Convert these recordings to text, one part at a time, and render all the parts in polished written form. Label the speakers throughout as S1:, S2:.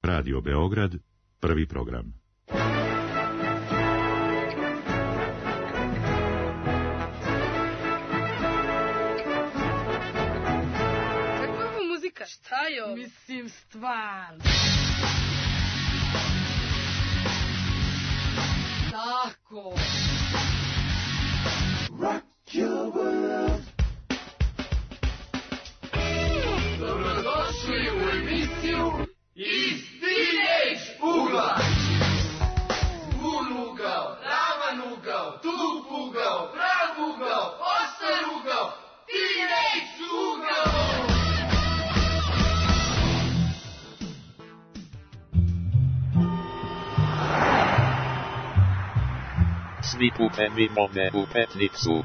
S1: Radio Beograd, prvi program.
S2: Kakva je muzika? Šta je ovo?
S3: Mislim, stvarno. Tako.
S4: Rock your world. Dobrodošli u emisiju Iz Teenage ugla. Vun ugao, ravan ugao, tup ugao, prav ugao, oštar ugao, Teenage ugao.
S5: Svi putevi vode u Petnicu.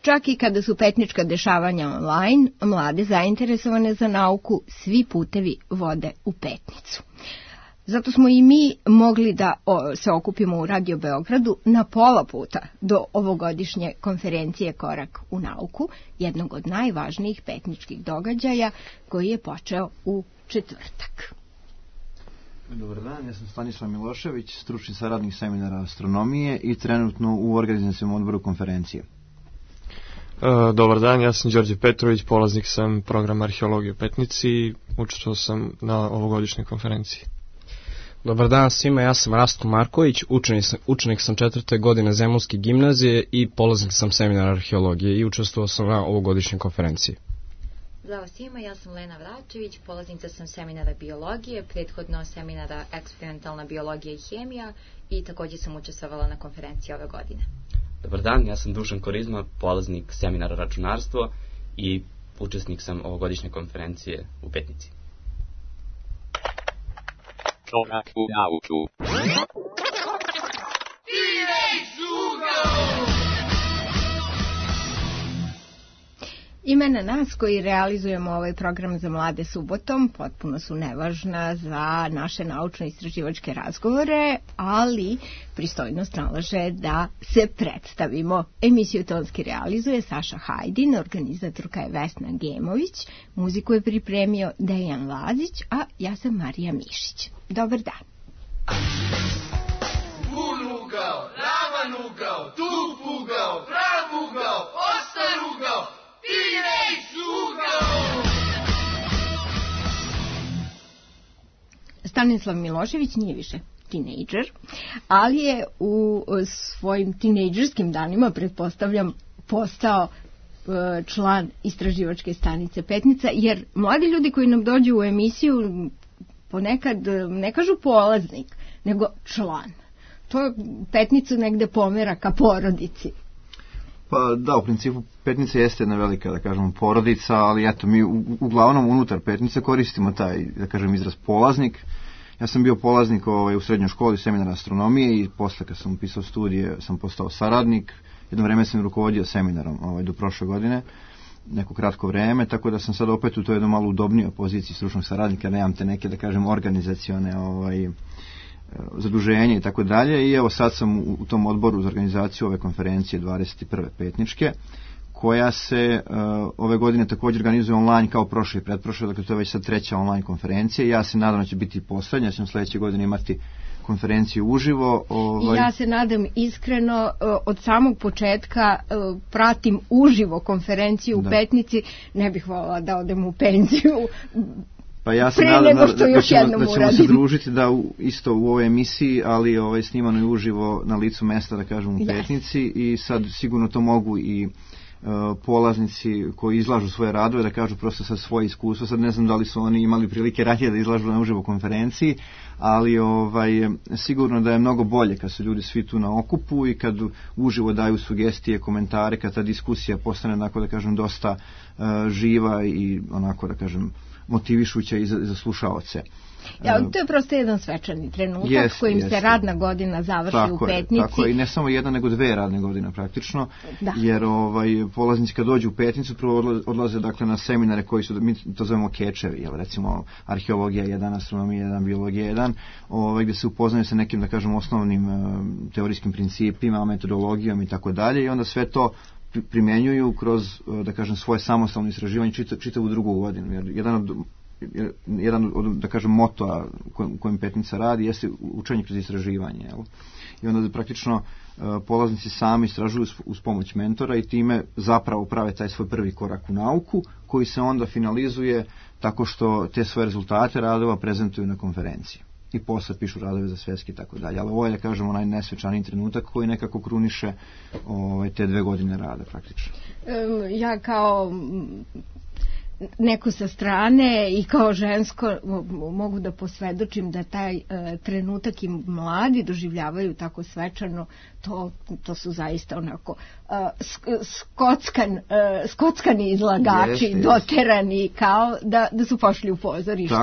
S6: Čak i kada su petnička dešavanja online, mlade zainteresovane za nauku, svi putevi vode u Petnicu. Zato smo i mi mogli da se okupimo u Radio Beogradu na pola puta do ovogodišnje konferencije Korak u nauku, jednog od najvažnijih petničkih događaja koji je počeo u četvrtak.
S7: Dobar dan, ja sam Stanislav Milošević, stručni saradnik seminara astronomije i trenutno u organizacijom odboru konferencije.
S8: Dobar dan, ja sam Đorđe Petrović, polaznik sam programa arheologije u Petnici i učestvovao sam na ovogodišnjoj konferenciji.
S9: Dobar dan svima, ja sam Rastko Marković, učenik sam 4. godine Zemunske gimnazije i polaznik sam seminara arheologije i učestvovao sam na ovogodišnjoj konferenciji.
S10: Zdravo svima, ja sam Lena Vračević, polaznica sam seminara biologije, prethodno seminara eksperimentalna biologija i hemija i također sam učestvovala na konferenciji ove godine.
S11: Dobar dan, ja sam Dušan Korizma, polaznik seminara računarstvo i učesnik sam ovogodišnje konferencije u Petnici.
S5: Korak u nauku.
S6: Imena nas koji realizujemo ovaj program za mlade subotom potpuno su nevažna za naše naučno-istraživačke razgovore, ali pristojnost nalaže da se predstavimo. Emisiju tonski realizuje Saša Hajdin, organizatorka je Vesna Gemović, muziku je pripremio Dejan Lazić, a ja sam Marija Mišić. Dobar dan.
S4: Vun ugao, ravan ugao, tup ugao, prav ugao, oštar ugao, Teenage ugao.
S6: Stanislav Milošević nije više tinejdžer, ali je u svojim tinejdžerskim danima, pretpostavljam, postao član istraživačke stanice Petnica, jer mladi ljudi koji nam dođu u emisiju ponekad ne kažu polaznik, nego član. To Petnicu negde pomera ka porodici.
S7: Pa da, u principu Petnica jeste jedna velika, da kažemo, porodica, ali eto, mi uglavnom unutar Petnice koristimo taj, da kažem, izraz polaznik. Ja sam bio polaznik u srednjoj školi seminara astronomije i posle kad sam upisao studije sam postao saradnik. Jedno vreme sam rukovodio seminarom do prošle godine, neko kratko vreme, tako da sam sad opet u toj jedno malo udobnijoj poziciji stručnog saradnika, nemam te neke, da kažem, organizacione zaduženje i tako dalje, i evo sad sam u tom odboru za organizaciju ove konferencije 21. petničke, koja se ove godine također organizuje online kao prošle i pretprošle, dakle to je već sad treća online konferencija. Ja se nadam da će biti poslednja, ja ćemo sljedeće godine imati konferenciju uživo.
S6: Ja se nadam iskreno, od samog početka pratim uživo konferenciju u Petnici, ne bih voljela da odem u penziju.
S7: Pa ja se nadam da ćemo se družiti isto u ovoj emisiji, ali snimano je uživo na licu mesta, da kažem, u Petnici, i sad sigurno to mogu i polaznici koji izlažu svoje radove da kažu prosto sad svoje iskustvo. Sad ne znam da li su oni imali prilike ranije da izlažu na uživo konferenciji, ali sigurno da je mnogo bolje kad su ljudi svi tu na okupu i kad uživo daju sugestije, komentare, kad ta diskusija postane, onako da kažem, dosta živa i onako da kažem motivišuća i za slušaoce.
S6: To je prosto jedan svečani trenutak kojim se radna godina završi u Petnici.
S7: Tako je, i ne samo jedna nego dve radne godine praktično, jer polaznici kad dođu u Petnicu prvo odlaze dakle na seminare koji su, mi to zovemo kečevi, recimo arheologija 1, astronomija 1, biologija 1, dan gdje se upoznaju sa nekim, da kažem, osnovnim teorijskim principima, metodologijom i tako dalje, i onda sve to primjenjuju kroz, da kažem, svoje samostalno istraživanje čitavu drugu godinu. Jer jedan od, da kažem, motoa kojim Petnica radi jeste učenje kroz istraživanje. Jel? I onda praktično polaznici sami istražuju uz pomoć mentora i time zapravo prave taj svoj prvi korak u nauku, koji se onda finalizuje tako što te svoje rezultate radova prezentuju na konferenciji. I posle pišu radove za svjetski i tako dalje. Ali ovo je, da kažemo, onaj nesvečaniji trenutak koji nekako kruniše te 2 godine rada praktično.
S6: Ja kao neko sa strane i kao žensko mogu da posvedočim da taj trenutak i mladi doživljavaju tako svečano, to su zaista onako skockani izlagači, doterani, kao da su pošli u pozorište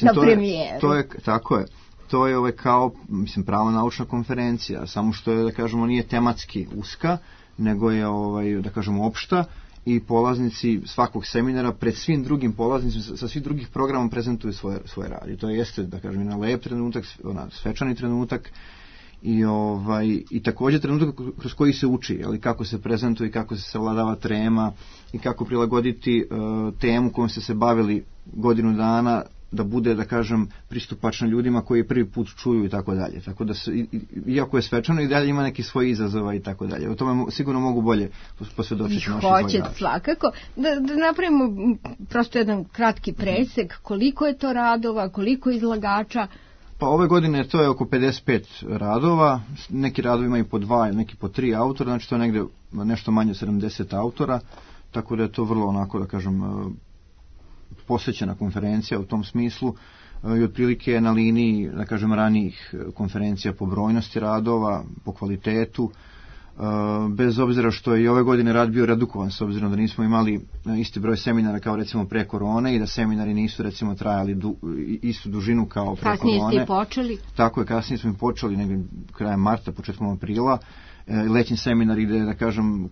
S6: na premijeru.
S7: Tako je. To je kao, mislim, prava naučna konferencija, samo što je, da kažemo, nije tematski uska, nego je, da kažemo, opšta, i polaznici svakog seminara pred svim drugim polaznicima sa svih drugih programa prezentuju svoje rad. I to jeste, da kažem, jedan lep trenutak, svečani trenutak i također trenutak kroz koji se uči, ali kako se prezentuje, kako se savladava trema i kako prilagoditi temu kojom ste se bavili godinu dana da bude, da kažem, pristupačna ljudima koji prvi put čuju i tako dalje. Tako da iako je svečano, i dalje ima neki svoj izazova i tako dalje. O tome sigurno mogu bolje posvjedočiti naši izvođači.
S6: Hoće svakako. Da napravimo prosto jedan kratki presek, koliko je to radova, koliko izlagača?
S7: Pa ove godine to je oko 55 radova, neki radovi imaju po 2, neki po 3 autora, znači to je negdje nešto manje od 70 autora, tako da je to vrlo onako, da kažem, posvećena konferencija u tom smislu i otprilike je na liniji, da kažem, ranijih konferencija po brojnosti radova, po kvalitetu, bez obzira što je i ove godine rad bio redukovan, s obzirom da nismo imali isti broj seminara kao recimo pre korone i da seminari nisu recimo trajali istu dužinu kao pre korone.
S6: Kasnije ste počeli?
S7: Tako je, kasnije smo i počeli, negdje krajem marta, početkom aprila. Letnji seminari gde, da kažem,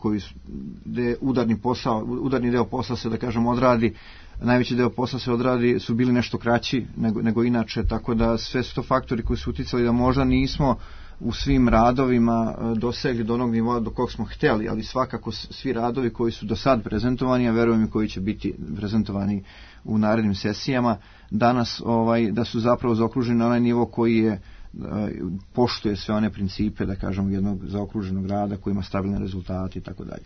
S7: gde udarni deo posla se, da kažem, odradi, najveći deo posla se odradi, su bili nešto kraći nego inače, tako da sve su to faktori koji su uticali da možda nismo u svim radovima dosegli do onog nivoa do kog smo htjeli, ali svakako svi radovi koji su do sad prezentovani, a verujem i koji će biti prezentovani u narednim sesijama, danas da su zapravo zaokruženi na onaj nivo koji je poštuje sve one principe, da kažem, jednog zaokruženog rada koji ima stabilne rezultate i tako dalje.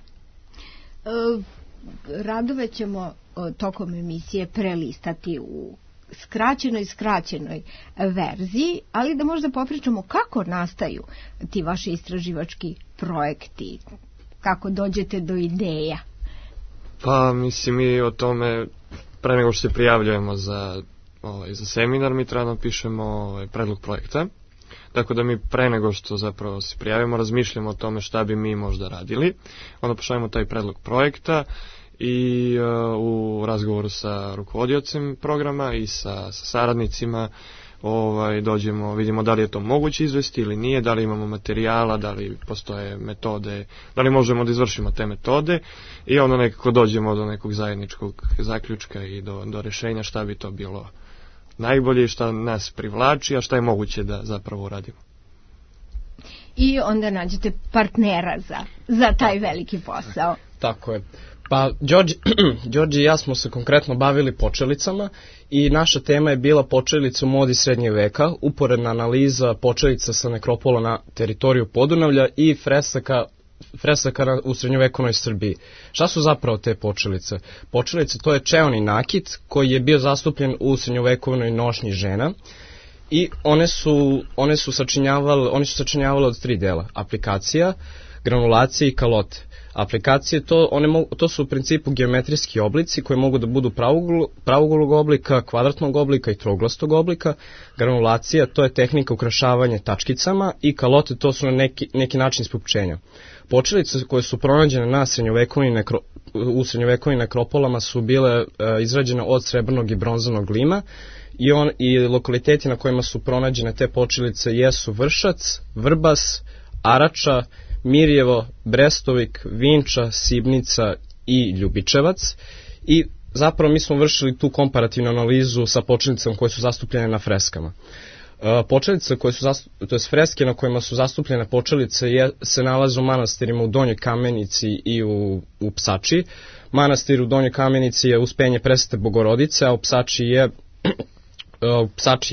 S6: Radove ćemo tokom emisije prelistati u skraćenoj verziji, ali da možda popričamo kako nastaju ti vaši istraživački projekti, kako dođete do ideja.
S8: Pa mislim, mi o tome pre nego što se prijavljujemo za seminar, mi treba napišemo predlog projekta. Tako da mi pre nego što zapravo se prijavimo razmišljamo o tome šta bi mi možda radili. Onda pošaljemo taj predlog projekta i u razgovoru sa rukovodiocem programa i sa saradnicima dođemo, vidimo da li je to moguće izvesti ili nije, da li imamo materijala, da li postoje metode, da li možemo da izvršimo te metode i onda nekako dođemo do nekog zajedničkog zaključka i do rješenja šta bi to bilo najbolje, šta nas privlači, a šta je moguće da zapravo uradimo.
S6: I onda nađete partnera za taj veliki posao.
S9: Tako je. Pa, Đorđe i ja smo se konkretno bavili počelicama i naša tema je bila počelica u modi srednjeg veka, uporedna analiza počelica sa nekropola na teritoriju Podunavlja i fresaka u srednjovekovnoj Srbiji. Šta su zapravo te počelice? Počelice, to je čeoni nakit koji je bio zastupljen u srednjovekovnoj nošnji žena i one su sačinjavale od 3 dela: aplikacija, granulacije i kalote. Aplikacije, to su u principu geometrijski oblici koji mogu da budu pravouglog oblika, kvadratnog oblika i trouglastog oblika. Granulacija, to je tehnika ukrašavanja tačkicama i kalote, to su na neki način ispupčenja. Počelice koje su pronađene u srednjovekovnim nekropolama su bile izrađene od srebrnog i bronzanog lima i lokaliteti na kojima su pronađene te počelice jesu Vršac, Vrbas, Arača, Mirjevo, Brestovik, Vinča, Sibnica i Ljubičevac i zapravo mi smo vršili tu komparativnu analizu sa počelicama koje su zastupljene na freskama. Počelice koje su to jest freske na kojima su zastupljene počelice se nalaze u manastirima u Donjoj Kamenici i u Psači. Manastir u Donjoj Kamenici je Uspenje Presvete Bogorodice, a u Psači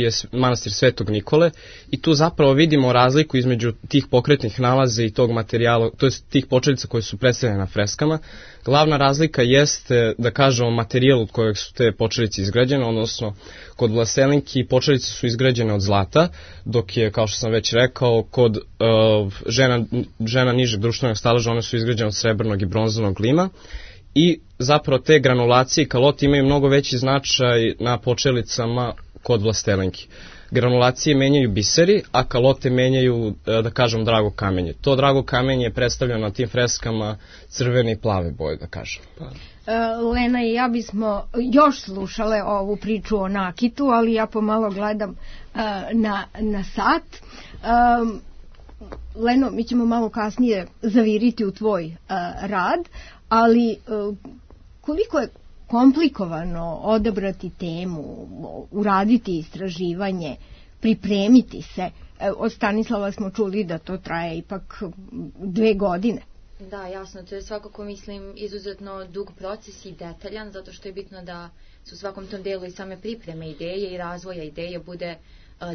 S9: je manastir Svetog Nikole i tu zapravo vidimo razliku između tih pokretnih nalaza i tog materijala, to jest tih počelica koje su predstavljene na freskama. Glavna razlika jeste, da kažemo, materijal od kojeg su te počelice izgrađene, odnosno kod Vlaselinki počelice su izgrađene od zlata, dok je, kao što sam već rekao, kod žena nižeg društvenog staleža one su izgrađene od srebrnog i bronzanog lima. I zapravo te granulacije i kalote imaju mnogo veći značaj na počelicama kod Vlastelinki. Granulacije menjaju biseri, a kalote menjaju, da kažem, drago kamenje. To drago kamenje je predstavljeno na tim freskama crvene i plave boje, da kažem.
S6: Lena i ja bismo još slušale ovu priču o nakitu, ali ja pomalo gledam na sat. Leno, mi ćemo malo kasnije zaviriti u tvoj rad, ali koliko je komplikovano odabrati temu, uraditi istraživanje, pripremiti se. Od Stanislava smo čuli da to traje ipak 2 godine.
S10: Da, jasno, to je svakako, mislim, izuzetno dug proces i detaljan, zato što je bitno da su u svakom tom delu i same pripreme ideje i razvoja ideje bude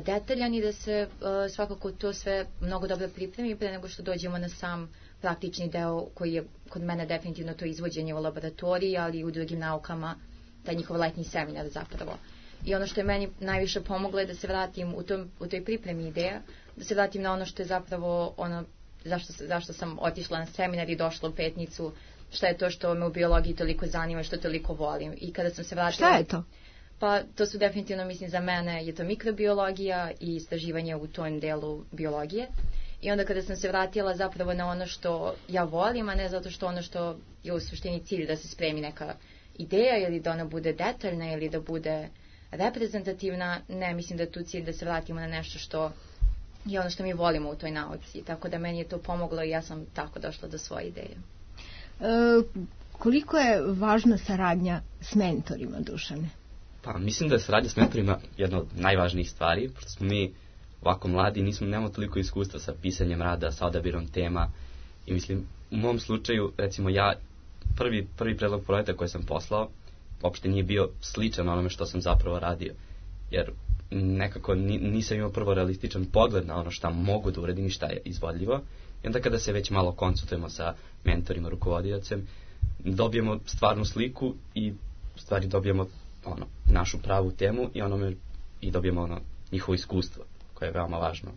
S10: detaljan i da se svakako to sve mnogo dobro pripremi pre nego što dođemo na sam praktični deo koji je kod mene definitivno to izvođenje u laboratoriji, ali i u drugim naukama, taj njihov letnji seminar zapravo. I ono što je meni najviše pomoglo je da se vratim u toj pripremi ideja, da se vratim na ono što je zapravo ono zašto sam otišla na seminar i došla u Petnicu, šta je to što me u biologiji toliko zanima, što toliko volim. I kada sam se vratila...
S6: Šta je to?
S10: Pa to su definitivno, mislim, za mene je to mikrobiologija i istraživanje u tom delu biologije. I onda kada sam se vratila zapravo na ono što ja volim, a ne zato što ono što je u suštini cilj da se spremi neka ideja ili da ona bude detaljna ili da bude reprezentativna, ne, mislim da je tu cilj da se vratimo na nešto što je ono što mi volimo u toj nauci. Tako da meni je to pomoglo i ja sam tako došla do svoje ideje.
S6: Koliko je važna saradnja s mentorima, Dušane?
S11: Pa mislim da je saradnja s mentorima jedna od najvažnijih stvari, pošto smo mi ovako mladi, nemamo toliko iskustva sa pisanjem rada, sa odabirom tema i mislim, u mom slučaju, recimo ja, prvi predlog projekta koji sam poslao, uopšte nije bio sličan onome što sam zapravo radio, jer nekako nisam imao prvo realističan pogled na ono šta mogu da uradim i šta je izvodljivo i onda kada se već malo konsultujemo sa mentorima, rukovodiocem, dobijemo stvarnu sliku i u stvari dobijemo našu pravu temu i dobijemo njihovo iskustvo koje je veoma važno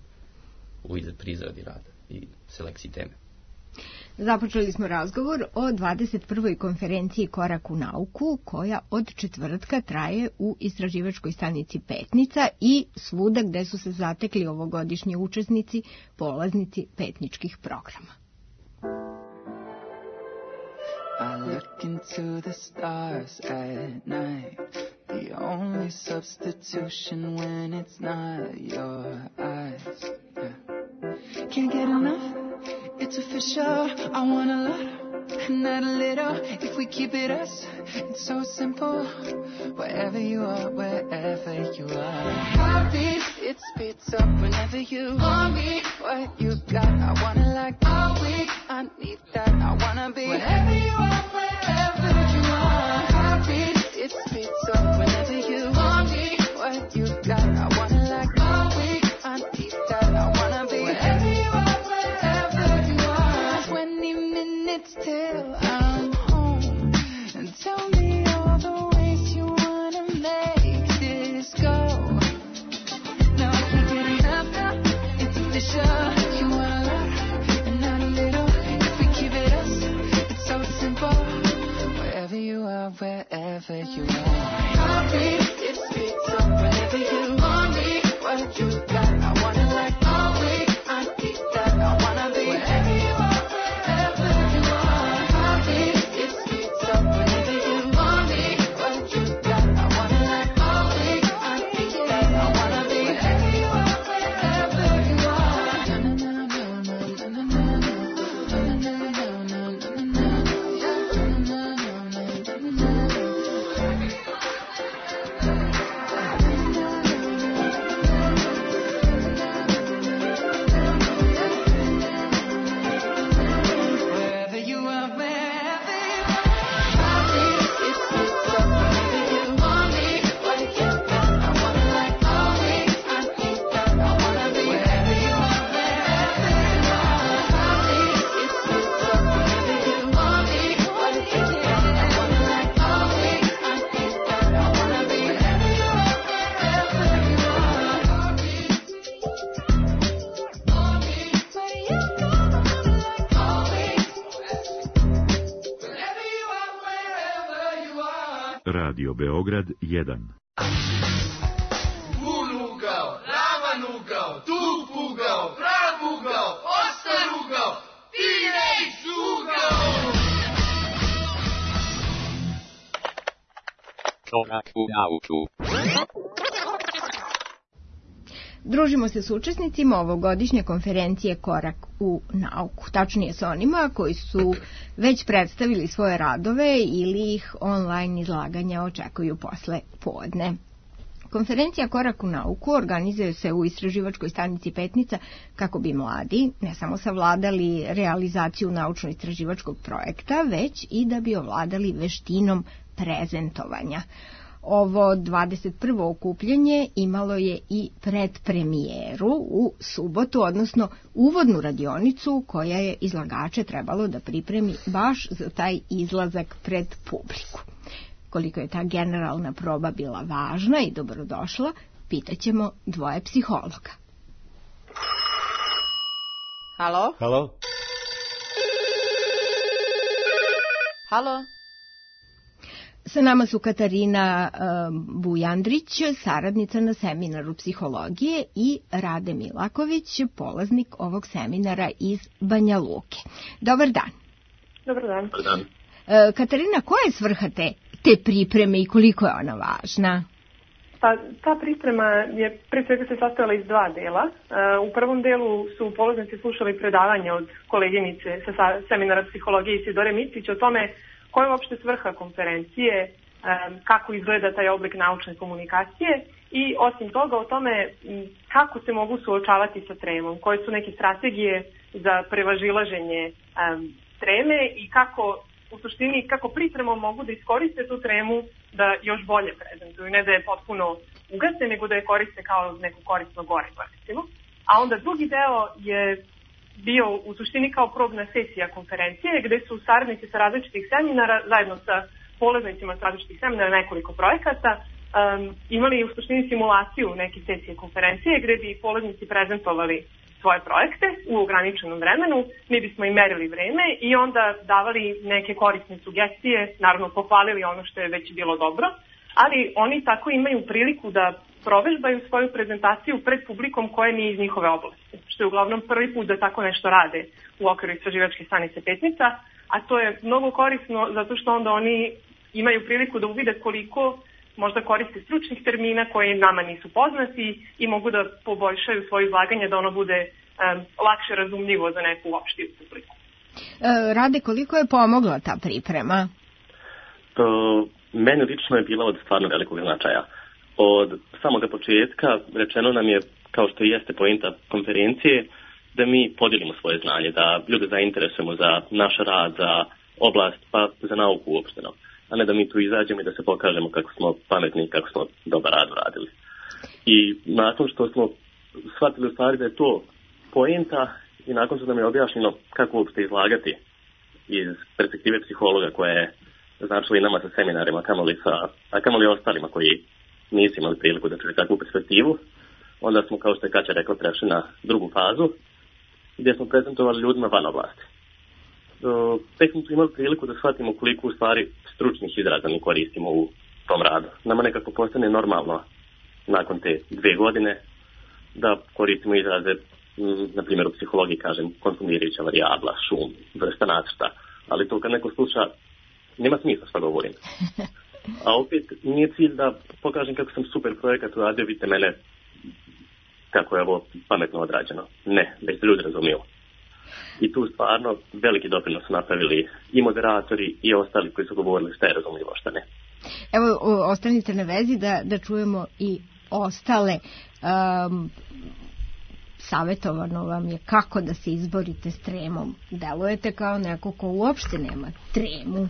S11: pri izradi rada i selekciji teme.
S6: Započeli smo razgovor o 21. konferenciji Korak u nauku, koja od četvrtka traje u istraživačkoj stanici Petnica i svuda gde su se zatekli ovogodišnji učesnici, polaznici petničkih programa.
S12: I look into the stars at night, the only substitution when it's not your eyes. Yeah. Can't get enough, it's official, I want a lot, not a little, if we keep it us, it's so simple, wherever you are, heartbeat, it speeds up whenever you want me, what you got, I wanna like all week, I need that, I wanna be wherever you are, heartbeat, it speeds up whenever you want me, what you got, I wanna like all week, I need that, I wanna be wherever you are, 20 minutes till I'm home, and tell me all the ways you wanna make this go. Now I can't get enough now, it's official, you want a lot, and not a little, if we keep it us, it's so simple, wherever you are, heartbeat, it speeds up whenever you want me, what you got, I wanna like all week, I need that, I wanna be wherever you are, heartbeat, it speeds up whenever you want me, what you got, I wanna like all week, I need that, I wanna be wherever you are,
S1: Radio Beograd 1.
S4: Ugao, ravan ugao, tug ugao, prav ugao, ostar ugao, T-Rex ugao!
S5: Korak u nauku.
S6: Družimo se s učesnicima ovogodišnje konferencije Korak u nauku. Tačnije s onima koji su već predstavili svoje radove ili ih online izlaganja očekuju posle podne. Konferencija Korak u nauku organizuje se u istraživačkoj stanici Petnica kako bi mladi ne samo savladali realizaciju naučno-istraživačkog projekta, već i da bi ovladali veštinom prezentovanja. Ovo 21. okupljanje imalo je i predpremijeru u subotu, odnosno uvodnu radionicu koja je izlagače trebalo da pripremi baš za taj izlazak pred publiku. Koliko je ta generalna proba bila važna i dobrodošla, pitaćemo dvoje psihologa.
S13: Halo?
S14: Halo?
S13: Halo?
S6: Sa nama su Katarina Bujandrić, saradnica na seminaru psihologije, i Rade Milaković, polaznik ovog seminara iz Banja Luke. Dobar dan.
S15: Dobar dan.
S14: Dobar dan.
S6: Katarina, koja je svrha te pripreme i koliko je ona važna?
S15: Pa, ta priprema je pre svega se sastojala iz dva dela. U prvom delu su polaznici slušali predavanje od koleginice sa seminara psihologije Isidore Micić o tome koja je uopšte svrha konferencije, kako izgleda taj oblik naučne komunikacije i osim toga o tome kako se mogu suočavati sa tremom, koje su neke strategije za prevažilaženje treme i kako u suštini kako pripremom mogu da iskoriste tu tremu da još bolje prezentuju, ne da je potpuno ugase, nego da je koriste kao neko korisno gorivo, recimo. A onda drugi deo je bio u suštini kao probna sesija konferencije, gde su saradnici sa različitih seminara, zajedno sa polaznicima sa različitih seminara, nekoliko projekata, imali u suštini simulaciju neke sesije konferencije, gde bi polaznici prezentovali svoje projekte u ograničenom vremenu, mi bismo im merili vreme i onda davali neke korisne sugestije, naravno pohvalili ono što je već bilo dobro, ali oni tako imaju priliku da provežbaju svoju prezentaciju pred publikom koja nije iz njihove oblasti, što je uglavnom prvi put da tako nešto rade u okviru istraživačke stanice Petnica, a to je mnogo korisno zato što onda oni imaju priliku da uvide koliko možda koriste stručnih termina koji nama nisu poznati i mogu da poboljšaju svoje izlaganje da ono bude lakše razumljivo za neku opštiju publiku.
S6: Rade, koliko je pomogla ta priprema?
S14: Meni lično je bila od stvarno velikog značaja. Od samoga početka rečeno nam je, kao što jeste pointa konferencije, da mi podijelimo svoje znanje, da ljude zainteresujemo za naš rad, za oblast, pa za nauku uopšteno. A ne da mi tu izađemo i da se pokažemo kako smo pametni i kako smo dobar rad uradili. I nakon što smo shvatili u stvari da je to pointa i nakon što nam je objašnjeno kako uopšte izlagati iz perspektive psihologa koja je značila i nama sa seminarima, a kamoli ostalima koji nisu imali priliku da čuju takvu perspektivu, onda smo, kao što je Kaća rekla, prešli na drugu fazu gdje smo prezentovali ljudima van oblasti. Tek smo tu imali priliku da shvatimo koliko u stvari stručnih izraza mi koristimo u tom radu. Nama nekako postane normalno nakon te 2 godine da koristimo izraze, na primjer u psihologiji kažem konfundirajuća varijabla, šum, vrsta nacrta, ali to kad neko sluša nema smisla što govorim. A opet nije cilj da pokažem kako sam super projekat uradio, vidite mene kako je ovo pametno odrađeno. Ne, da se ljudi razumiju. I tu stvarno veliki doprinos su napravili i moderatori i ostali koji su govorili šta je razumljivo, šta ne.
S6: Evo, ostanite na vezi da čujemo i ostale. Savjetovano vam je kako da se izborite s tremom. Delujete kao neko ko uopšte nema tremu.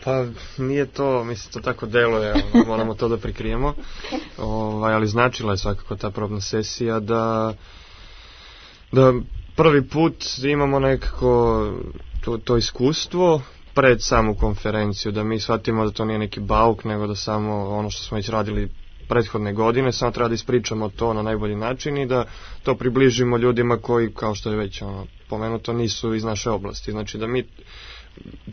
S8: Pa nije to, mislim, to tako deluje, moramo to da prikrijemo, ali značila je svakako ta probna sesija da prvi put imamo nekako to iskustvo pred samu konferenciju, da mi shvatimo da to nije neki bauk, nego da samo ono što smo već radili prethodne godine, samo treba da ispričamo to na najbolji način i da to približimo ljudima koji, kao što je već spomenuto, nisu iz naše oblasti. Znači da mi,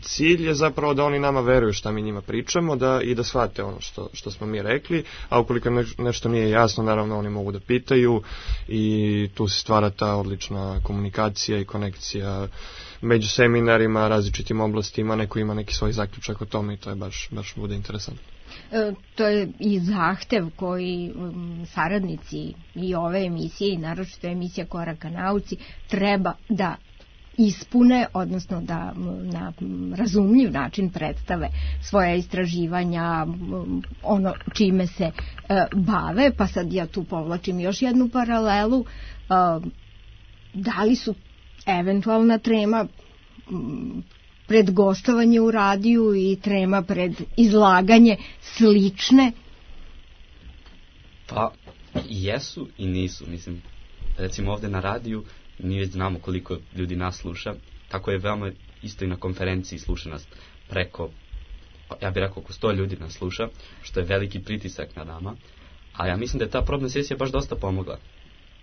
S8: cilj je zapravo da oni nama veruju šta mi njima pričamo i da shvate ono što smo mi rekli, a ukoliko nešto nije jasno, naravno oni mogu da pitaju i tu se stvara ta odlična komunikacija i konekcija među seminarima, različitim oblastima, neko ima neki svoj zaključak o tome i to je baš bude interesantno.
S6: To je i zahtev koji saradnici i ove emisije i naročito emisija Koraka nauci treba da ispune, odnosno da na razumljiv način predstave svoja istraživanja, ono čime se bave, pa sad ja tu povlačim još jednu paralelu. Da li su eventualna trema pred gostovanje u radiju i trema pred izlaganje slične?
S11: Pa, jesu i nisu. Mislim, recimo ovde na radiju mi već znamo koliko ljudi nas sluša, tako je veoma isto i na konferenciji sluša nas preko, ja bih rekao oko 100 ljudi nas sluša, što je veliki pritisak na nama, a ja mislim da je ta probna sesija baš dosta pomogla.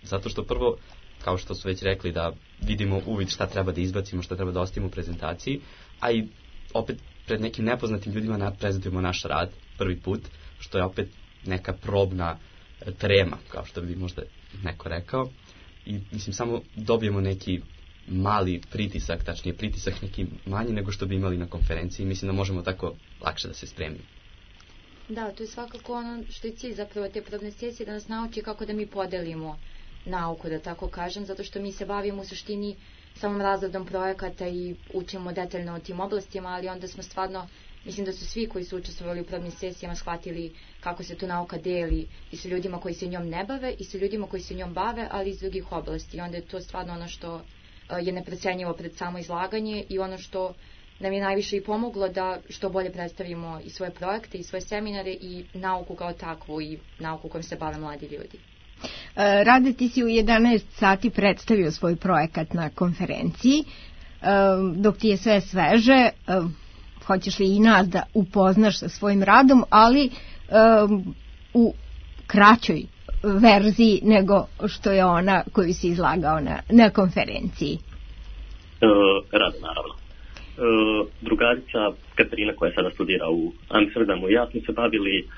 S11: Zato što prvo, kao što su već rekli, da vidimo uvid šta treba da izbacimo, šta treba da ostavimo u prezentaciji, a i opet pred nekim nepoznatim ljudima prezentujemo naš rad prvi put, što je opet neka probna trema, kao što bi možda neko rekao. I mislim, samo dobijemo neki mali pritisak, tačnije pritisak neki manji nego što bi imali na konferenciji. Mislim da možemo tako lakše da se spremimo.
S10: Da, to je svakako ono što je cilj zapravo te probne sesije, da nas nauči kako da mi podelimo nauku, da tako kažem, zato što mi se bavimo u suštini samom razradom projekata i učimo detaljno o tim oblastima, ali onda smo stvarno, mislim da su svi koji su učestvovali u probnim sesijama shvatili kako se tu nauka deli i sa ljudima koji se njom ne bave i sa ljudima koji se njom bave, ali iz drugih oblasti. I onda je to stvarno ono što je neprecenjivo pred samo izlaganje i ono što nam je najviše i pomoglo da što bolje predstavimo i svoje projekte i svoje seminare i nauku kao takvu i nauku kojom se bave mladi ljudi.
S6: Rade, ti si u 11 sati predstavio svoj projekat na konferenciji, dok ti je sve sveže, hoćeš li i nas da upoznaš sa svojim radom, ali u kraćoj verziji nego što je ona koju si izlagao na konferenciji?
S14: Rado, naravno. Drugarica Katarina, koja sada studira u Amsterdamu, i ja smo se bavili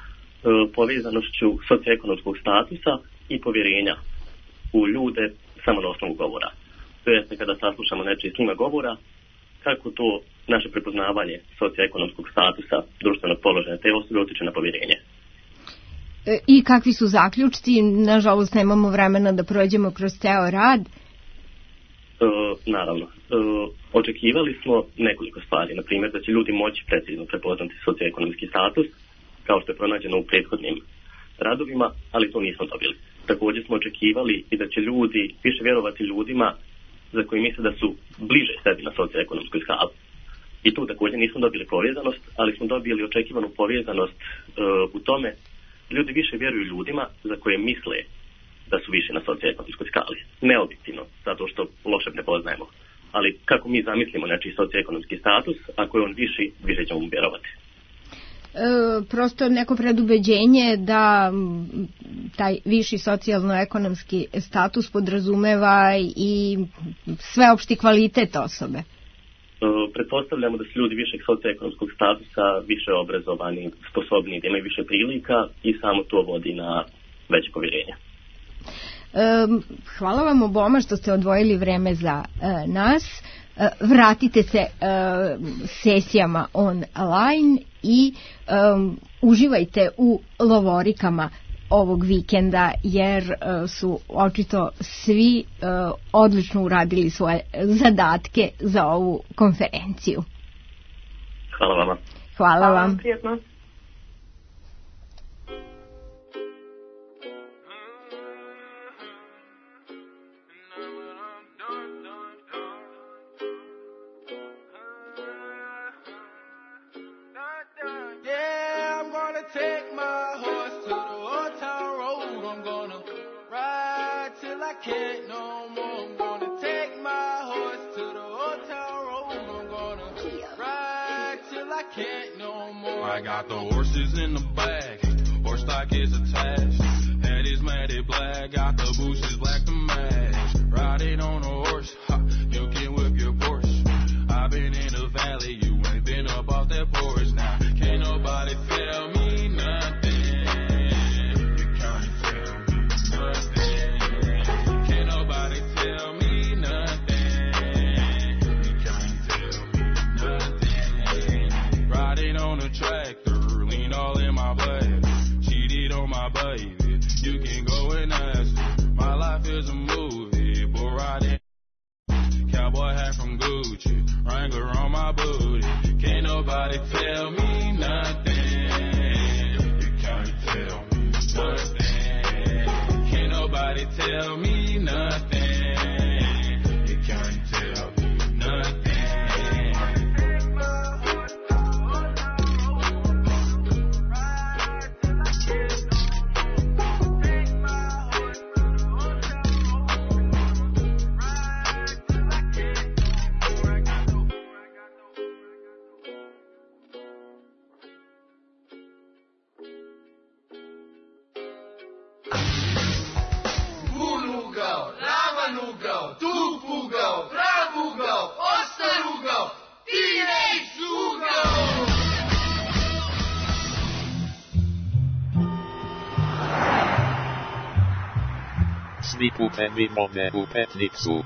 S14: povezanošću socioekonomskog statusa i povjerenja u ljude samo na osnovu govora. To jeste kada saslušamo nečiji snima govora, kako to naše prepoznavanje socioekonomskog statusa, društvenog položaja te osobe utiče na povjerenje.
S6: I kakvi su zaključci? Nažalost, nemamo vremena da prođemo kroz ceo rad.
S14: Naravno. Očekivali smo nekoliko stvari. Na primjer, da će ljudi moći precizno prepoznati socioekonomski status, kao što je pronađeno u prethodnim radovima, ali to nismo dobili. Također smo očekivali i da će ljudi više vjerovati ljudima za koji misle da su bliže sebi na socioekonomskoj skali. I tu također nismo dobili povezanost, ali smo dobili očekivanu povezanost u tome ljudi više vjeruju ljudima za koje misle da su više na socioekonomskoj skali. Neobjektivno, zato što loše ne poznajemo. Ali kako mi zamislimo nečiji socioekonomski status, ako je on viši, više ćemo mu vjerovati.
S6: Prosto neko predubeđenje da taj viši socijalno-ekonomski status podrazumeva i sveopšti kvalitet osobe.
S14: Pretpostavljamo da su ljudi višeg socioekonomskog statusa više obrazovani, sposobni, da imaju više prilika i samo to vodi na veće povjerenje.
S6: Hvala vam oboma što ste odvojili vreme za nas. Vratite se sesijama online i uživajte u lovorikama ovog vikenda, jer su očito svi odlično uradili svoje zadatke za ovu konferenciju.
S14: Hvala vama.
S6: Hvala vam.
S15: Prijetno.
S16: I got the horses in the back, horse stock is attached. Head is matted black, got the bushes black to match. Riding on a horse, ha, you can a tractor, lean all in my blood. Cheated on my baby, you can go and ask her. My life is a movie, bull riding. Cowboy hat from Gucci, Wrangler on my booty. Can't nobody tell me nothing. You can't tell me nothing. Can't nobody tell me nothing. You can't tell me nothing.
S5: Svi putevi vode u Petnicu.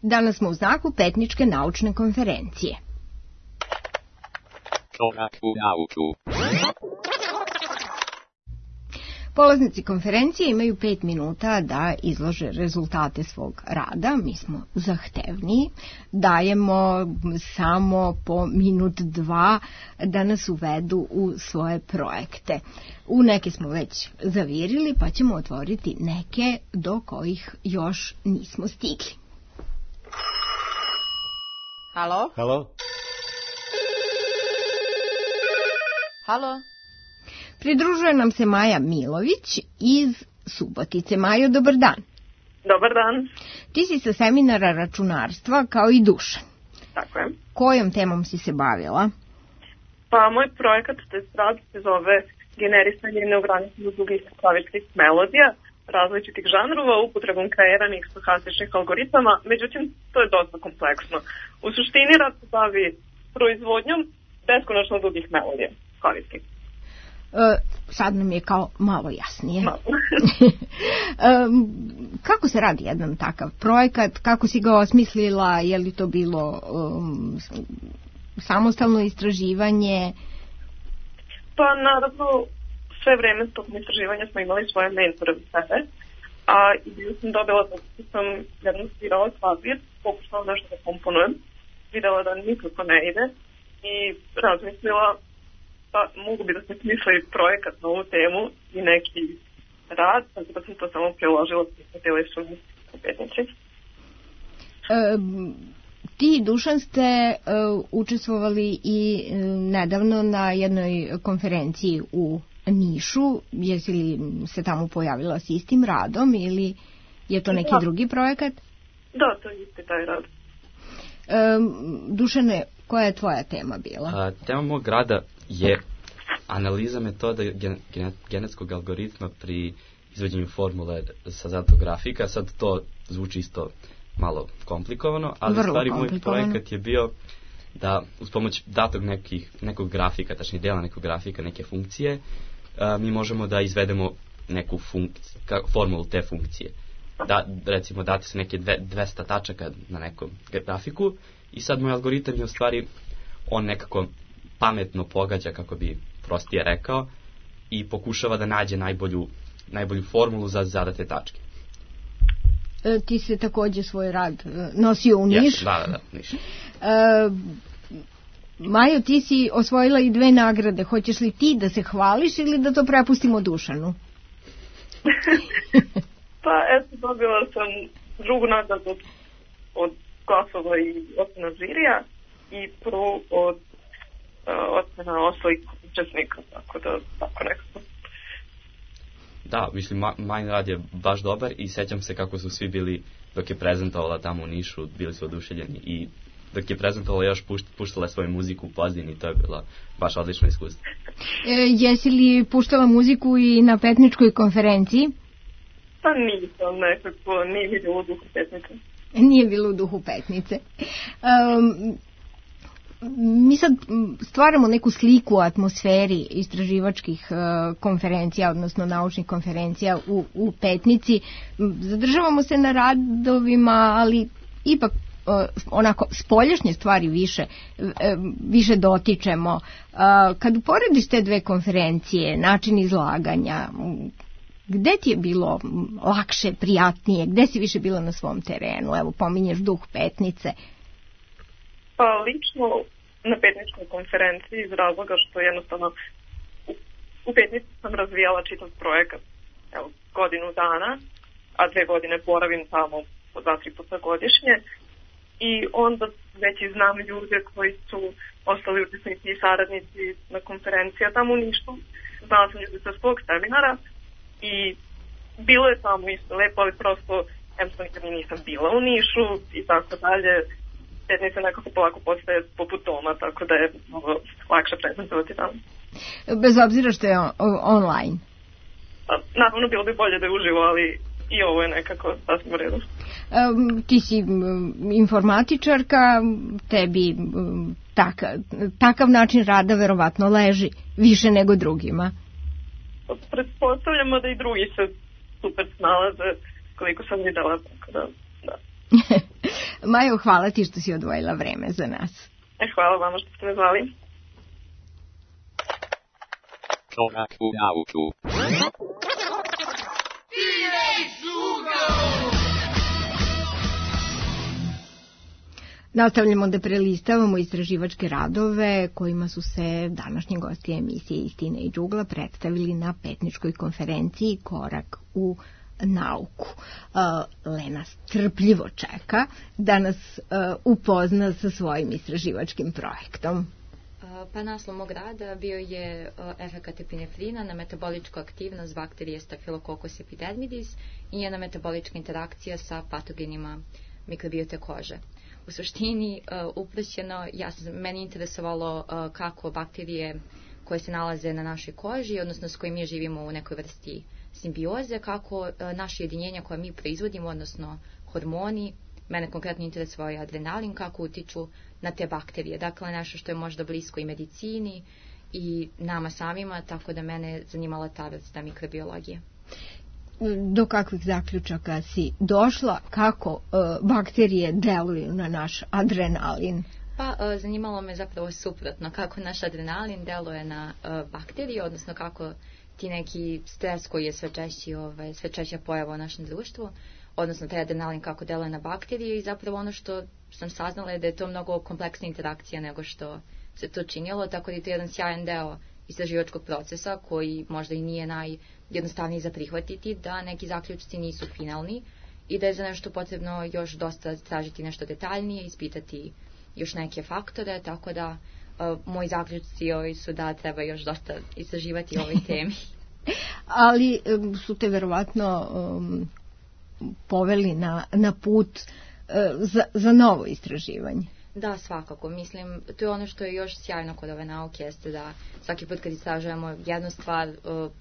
S6: Danas smo u znaku Petničke naučne konferencije.
S5: Korak u nauku.
S6: Polaznici konferencije imaju 5 minuta da izlože rezultate svog rada. Mi smo zahtevniji. Dajemo samo po minut 2 da nas uvedu u svoje projekte. U neke smo već zavirili, pa ćemo otvoriti neke do kojih još nismo stigli.
S13: Halo?
S17: Halo?
S13: Halo?
S6: Pridružuje nam se Maja Milović iz Subotice. Majo, dobar dan.
S15: Dobar dan.
S6: Ti si sa seminara računarstva kao i Dušan.
S15: Tako je.
S6: Kojom temom si se bavila?
S15: Pa moj projekat rad se zove generisanje neograničenih dugih klavičnih melodija različitih žanrova upotrebom kreiranih stohastičnih algoritama, međutim to je dosta kompleksno. U suštini rad se bavi proizvodnjom beskonačno dugih melodija klavijskih.
S6: Sad nam je kao malo jasnije. Kako se radi jedan takav projekat? Kako si ga osmislila? Je li to bilo samostalno istraživanje?
S15: Pa naravno, sve vreme tokom istraživanja smo imali svoje mentore u sebe. A ideju sam dobila da sam jednom svirala klavir, pokušala nešto da komponujem, videla da nikako ne ide i razmislila pa mogu bi da se smisli projekat na ovu temu i neki rad, tako da sam to samo priložila na telefonu u Petnici.
S6: Ti i Dušan ste učestvovali i nedavno na jednoj konferenciji u Nišu. Jesi li se tamo pojavila s istim radom ili je to neki drugi projekat?
S15: Da, to je isti taj rad.
S6: Dušane, koja je tvoja tema bila?
S11: Tema mog rada je analiza metoda genetskog algoritma pri izvođenju formule sa zadatog grafika. Sad to zvuči isto malo komplikovano, ali
S6: vrlo
S11: stvari moj projekat je bio da uz pomoć datog nekog grafika, tačnije dela nekog grafika, neke funkcije, mi možemo da izvedemo neku formulu te funkcije. Da, recimo dati se neke 200 tačaka na nekom grafiku i sad moj algoritam je u stvari on nekako pametno pogađa, kako bi prostije rekao, i pokušava da nađe najbolju formulu za zadate tačke.
S6: Ti se takođe svoj rad nosio u Niš.
S11: Da, Niš.
S6: Majo, ti si osvojila i 2 nagrade. Hoćeš li ti da se hvališ ili da to prepustimo Dušanu?
S15: Pa eto, dobila sam drugu nagradu od glasova i ocena žirija i prvu od ocena ostalih učesnika, tako da tako nekako.
S11: Da, mislim, Majin rad je baš dobar i sećam se kako su svi bili, dok je prezentovala tamo u Nišu, bili su oduševljeni i dok je prezentovala još puštala svoju muziku u pozadini, to je bila baš odlično iskustvo.
S6: Jesi li puštala muziku i na Petničkoj konferenciji?
S15: Pa nisam, nekako, nije mi bilo u duhu Petnice.
S6: Nije bilo u duhu Petnice. mi sad stvaramo neku sliku o atmosferi istraživačkih konferencija, odnosno naučnih konferencija u Petnici. Zadržavamo se na radovima, ali ipak onako spoljašnje stvari više dotičemo. Kad uporediš te dve konferencije, način izlaganja, gde ti je bilo lakše, prijatnije, gde si više bila na svom terenu? Evo, pominješ duh Petnice.
S15: Pa lično na Petničkoj konferenciji iz razloga što jednostavno u Petnici sam razvijala čitav projekat godinu dana, a 2 godine boravim tamo po 2-3 puta godišnje i onda već i znam ljude koji su ostali učesnici i saradnici na konferencija tamo u Nišu. Znala sam ljude sa svog seminara i bilo je tamo isto lepo, ali prosto jednostavno nikad nisam bila u Nišu i tako dalje. Petnica nekako polako postaje poput doma, tako da je mnogo lakše prezentovati tamo.
S6: Bez obzira što je online?
S15: Naravno, bilo bi bolje da je uživo, ali i ovo je nekako sasvim u redu.
S6: Ti si informatičarka, tebi takav način rada verovatno leži više nego drugima.
S15: Pretpostavljamo da i drugi se super snalaze, koliko sam videla, tako da.
S6: Majo, hvala ti što si odvojila vreme za nas.
S15: Hvala vama što ste me zvali.
S5: Korak u nauku.
S6: Nastavljamo da prelistavamo istraživačke radove kojima su se današnji gosti emisije Istina i džugla predstavili na Petničkoj konferenciji Korak u nauku. Lena strpljivo čeka da nas upozna sa svojim istraživačkim projektom.
S10: Pa naslov mog rada bio je efekat epinefrina na metaboličku aktivnost bakterije Staphylococcus epidermidis i njena metabolička interakcija sa patogenima mikrobiote kože. U suštini, uprošćeno, meni interesovalo kako bakterije koje se nalaze na našoj koži, odnosno s kojim mi živimo u nekoj vrsti simbioze, kako naše jedinjenja koje mi proizvodimo, odnosno hormoni, mene konkretno interesovao je adrenalin, kako utiču na te bakterije. Dakle, nešto što je možda blisko i medicini i nama samima, tako da mene zanimala ta vrsta mikrobiologije.
S6: Do kakvih zaključaka si došla, kako bakterije deluju na naš adrenalin?
S10: Pa, zanimalo me zapravo suprotno, kako naš adrenalin deluje na bakterije, odnosno kako ti neki stres koji je sve češća pojava u našem društvu, odnosno taj adrenalin kako deluje na bakterije i zapravo ono što sam saznala je da je to mnogo kompleksna interakcija nego što se to činilo, tako da je to jedan sjajan deo istraživačkog procesa koji možda i nije najjednostavniji za prihvatiti, da neki zaključci nisu finalni i da je za nešto potrebno još dosta tražiti nešto detaljnije, ispitati još neke faktore, tako da moji zaključci su da treba još dosta istraživati o ovoj temi.
S6: Ali su te verovatno poveli na put za novo istraživanje.
S10: Da, svakako. Mislim, to je ono što je još sjajno kod ove nauke, jeste da svaki put kad istražujemo jednu stvar,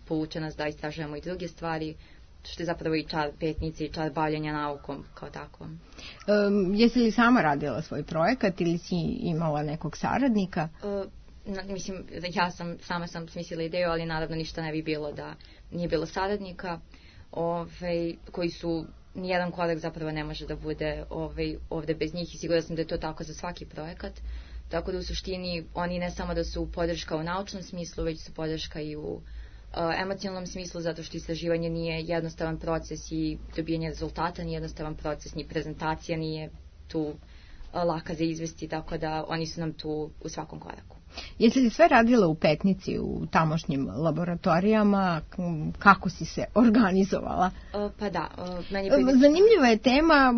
S10: pouče nas da istražujemo i druge stvari, što je zapravo i čar Petnice i čar bavljenja naukom kao takvom.
S6: Jesi li sama radila svoj projekat ili si imala nekog saradnika?
S10: Mislim, sama sam smislila ideju, ali naravno ništa ne bi bilo da nije bilo saradnika, koji su nijedan korak zapravo ne može da bude ovde bez njih i sigurno sam da je to tako za svaki projekat. Tako da u suštini oni ne samo da su podrška u naučnom smislu, već su podrška i u emocionalnom smislu, zato što istraživanje nije jednostavan proces i dobijanje rezultata nije jednostavan proces, ni prezentacija nije tu laka za izvesti, tako da oni su nam tu u svakom koraku.
S6: Jesi li sve radila u Petnici, u tamošnjim laboratorijama? Kako si se organizovala?
S10: Pa da.
S6: Zanimljiva je tema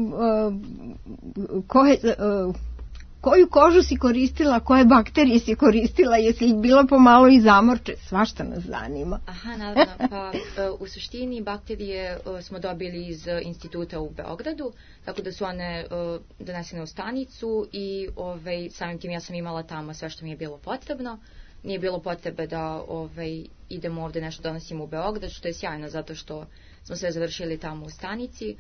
S6: koju kožu si koristila, koje bakterije si koristila, jesi li bila pomalo i zamorče? Svašta nas zanima.
S10: Aha, naravno. Pa u suštini bakterije smo dobili iz instituta u Beogradu, tako da su one donesene u stanicu i samim tim ja sam imala tamo sve što mi je bilo potrebno. Nije bilo potrebe da idemo ovde nešto donosimo u Beograd, što je sjajno zato što smo sve završili tamo u stanici.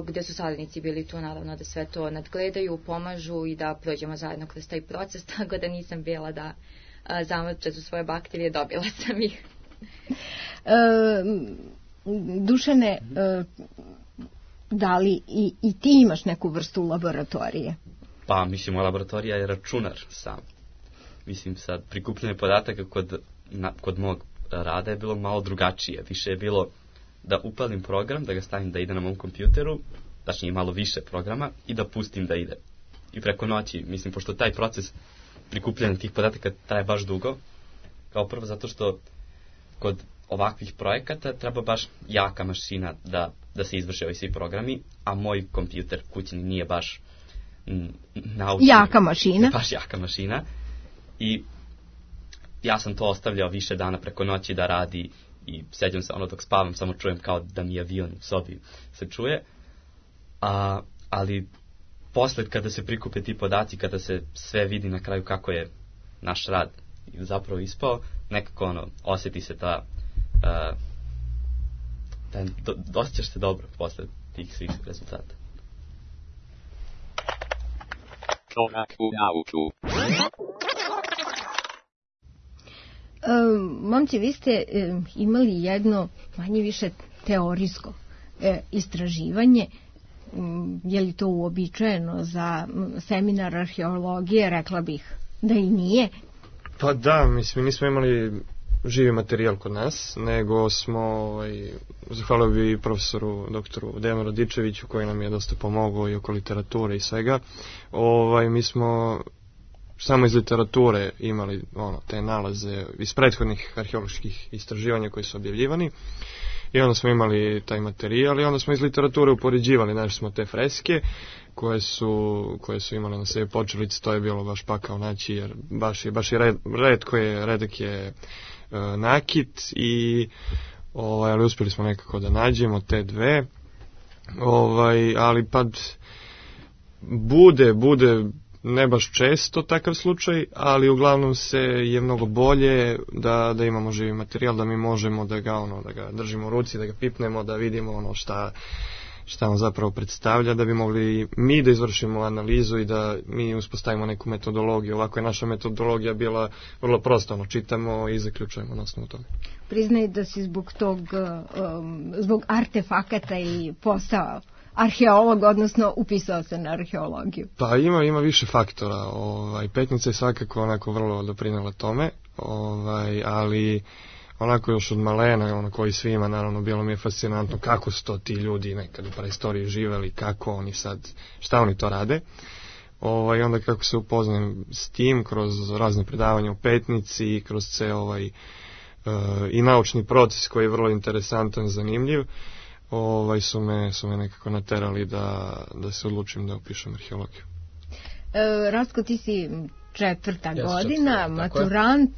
S10: gde su saradnici bili tu naravno da sve to nadgledaju, pomažu i da prođemo zajedno kroz taj proces, tako da nisam bila da zamrče su svoje bakterije, dobila sam ih.
S6: Dušane, da li i ti imaš neku vrstu laboratorije?
S11: Pa, mislim, moja laboratorija je računar sam. Mislim, sad, prikupljanje podataka kod mog rada je bilo malo drugačije. Više je bilo da upalim program, da ga stavim da ide na mom kompjuteru, tačnije malo više programa, i da pustim da ide. I preko noći, mislim, pošto taj proces prikupljanja tih podataka traje baš dugo, kao prvo zato što kod ovakvih projekata treba baš jaka mašina da se izvrše ovi svi programi, a moj kompjuter kućni nije baš naučni.
S6: Jaka mašina.
S11: Baš jaka mašina. I ja sam to ostavljao više dana preko noći da radi i seđam se dok spavam, samo čujem kao da mi avion u sobi se čuje. Ali posle kada se prikupe ti podaci, kada se sve vidi na kraju kako je naš rad zapravo ispao, nekako osjeti se osjećaš se dobro posle tih svih rezultata.
S5: Korak u nauku.
S6: Momci, vi ste imali jedno manje više teorijsko istraživanje. Je li to uobičajeno za seminar arheologije? Rekla bih da i nije.
S8: Pa da, mislim, nismo imali živi materijal kod nas, nego smo, zahvalio bi profesoru doktoru Dejanu Radičeviću koji nam je dosta pomogao i oko literature i svega. Mi smo samo iz literature imali te nalaze iz prethodnih arheoloških istraživanja koji su objavljivani i onda smo imali taj materijal i onda smo iz literature upoređivali, našli smo te freske koje su imale na sebi počelice, to je bilo baš pakao naći jer baš je redak je nakit i ali uspjeli smo nekako da nađemo te dve, ali bude ne baš često takav slučaj, ali uglavnom je mnogo bolje da imamo živi materijal, da mi možemo da ga držimo u ruci, da ga pipnemo, da vidimo šta on zapravo predstavlja, da bi mogli mi da izvršimo analizu i da mi uspostavimo neku metodologiju. Ovako je naša metodologija bila vrlo prosta, čitamo i zaključujemo na osnovu toga.
S6: Priznaj da si zbog artefakata i postao arheolog, odnosno upisao se na arheologiju.
S8: Pa ima više faktora. Petnica je svakako onako vrlo doprinela tome, ali onako još od malena, koji svima, naravno, bilo mi je fascinantno kako su to ti ljudi nekad u praistoriji živeli, kako oni sad, šta oni to rade. I onda kako se upoznajem s tim, kroz razne predavanja u Petnici, kroz ceo i naučni proces koji je vrlo interesantan, zanimljiv, su me nekako naterali da se odlučim da upišem arheologiju.
S6: Rastko, ti si četvrta godina, maturant,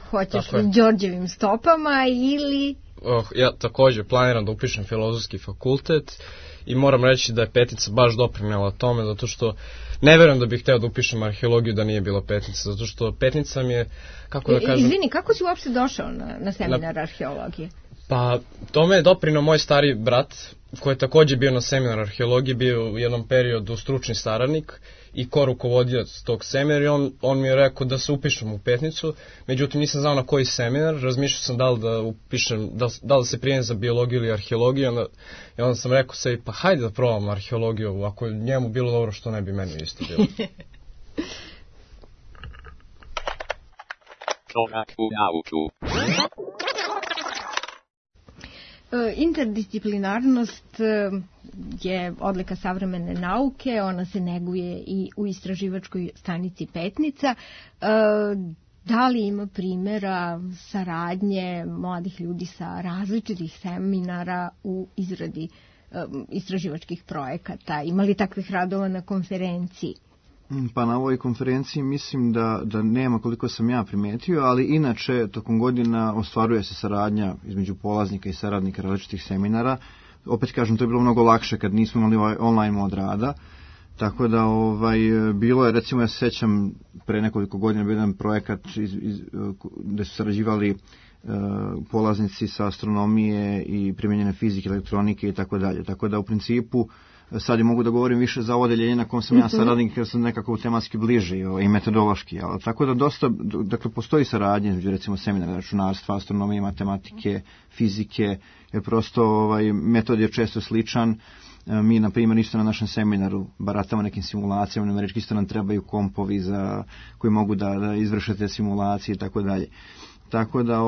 S6: hoćeš Đorđevim stopama ili...
S9: Ja također planiram da upišem filozofski fakultet i moram reći da je Petnica baš doprinela tome, zato što ne verujem da bih hteo da upišem arheologiju da nije bila Petnica, zato što Petnica mi je, kako da kažem...
S6: Izvini, kako si uopšte došao na seminar arheologije?
S9: Pa, tome je doprinao moj stari brat, koji je također bio na seminar arheologije, bio u jednom periodu stručni saradnik i korukovodioc tog seminara i on mi je rekao da se upišem u Petnicu, međutim nisam znao na koji seminar, razmišljao sam da li da upišem, da li se prijem za biologiju ili arheologiju i onda sam rekao sebi, pa hajde da probam arheologiju, ako je njemu bilo dobro, što ne bi meni isto bilo.
S5: Korak u nauku.
S6: Interdisciplinarnost je odlika savremene nauke, ona se neguje i u istraživačkoj stanici Petnica. Da li ima primjera saradnje mladih ljudi sa različitih seminara u izradi istraživačkih projekata? Ima li takvih radova na konferenciji?
S7: Pa na ovoj konferenciji mislim da nema, koliko sam ja primetio, ali inače tokom godina ostvaruje se saradnja između polaznika i saradnika različitih seminara. Opet kažem, to je bilo mnogo lakše kad nismo imali ovaj online mod rada, tako da bilo je, recimo ja se sjećam pre nekoliko godina bio jedan projekat gdje su sarađivali polaznici sa astronomije i primjenjene fizike, elektronike i tako dalje. Tako da u principu sad je mogu da govorim više za odeljenje na kom sam ja saradnik, jer sam nekako tematski bliži i metodološki. Ali, tako da dosta, dakle, postoji saradnje između recimo seminara računarstva, astronomije, matematike, fizike, jer prosto metod je često sličan. Mi, na primjer, isto na našem seminaru baratamo nekim simulacijama, numerički isto nam trebaju kompovi koji mogu da izvrše te simulacije i tako dalje. Tako da,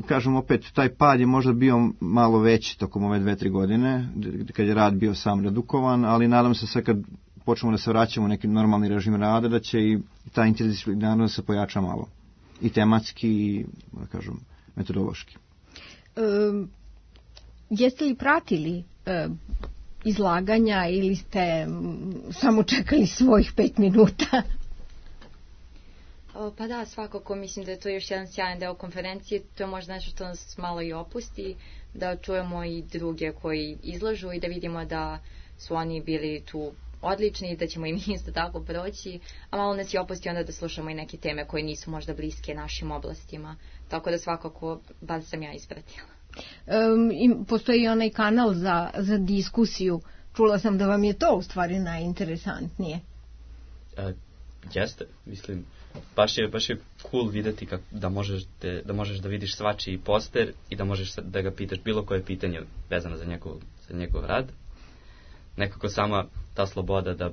S7: kažem opet, taj pad je možda bio malo veći tokom ove 2-3 godine, kad je rad bio sam redukovan, ali nadam se sad kad počnemo da se vraćamo u neki normalni režim rada, da će i ta interdisciplinarnost se pojača malo. I tematski, i, da kažem, metodološki.
S6: Jeste li pratili izlaganja ili ste samo čekali svojih 5 minuta?
S10: Pa da, svakako mislim da je to još jedan sjajan deo konferencije, to je možda nešto što nas malo i opusti, da čujemo i druge koji izlažu i da vidimo da su oni bili tu odlični i da ćemo i mi isto tako proći, a malo nas i opusti onda da slušamo i neke teme koje nisu možda bliske našim oblastima, tako da svakako, bar sam ja ispratila.
S6: Postoji i onaj kanal za diskusiju, čula sam da vam je to u stvari najinteresantnije.
S11: Jeste, mislim, baš je cool videti da možeš da vidiš svačiji poster i da možeš da ga pitaš bilo koje pitanje vezano za njegov rad. Nekako sama ta sloboda da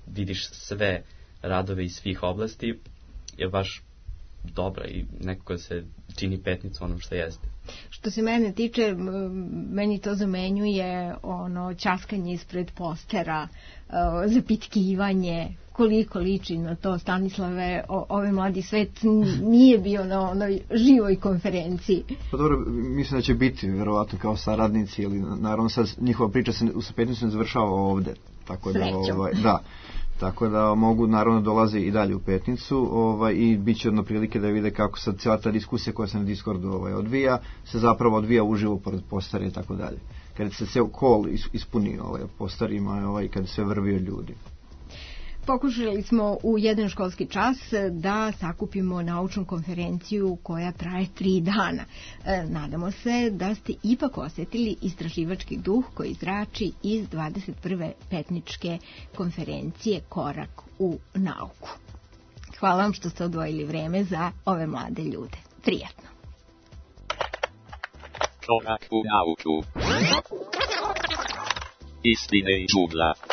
S11: vidiš sve radove iz svih oblasti je baš dobra i nekako se čini Petnicu onom što jeste.
S6: Što se mene tiče, meni to zamenjuje ćaskanje ispred postera, zapitkivanje, koliko liči na to. Stanislave, ovaj mladi svet nije bio na onoj živoj konferenciji. Pa
S7: dobro, mislim da će biti verovatno kao saradnici, ili naravno sad njihova priča se u Petnicu ne završava ovde. Tako da, tako da mogu naravno dolaze i dalje u Petnicu i bit će jedno prilike da vide kako sad cijela ta diskusija koja se na Discordu odvija, se zapravo odvija uživo pored postara i tako dalje. Kad se sve kol ispuni postarima i kad se vrvi od ljudi.
S6: Pokušali smo u jedan školski čas da sakupimo naučnu konferenciju koja traje 3 dana. Nadamo se da ste ipak osjetili istraživački duh koji zrači iz 21. Petničke konferencije Korak u nauku. Hvala vam što ste odvojili vreme za ove mlade ljude. Prijatno.
S5: Korak u nauku. Istine i džungla.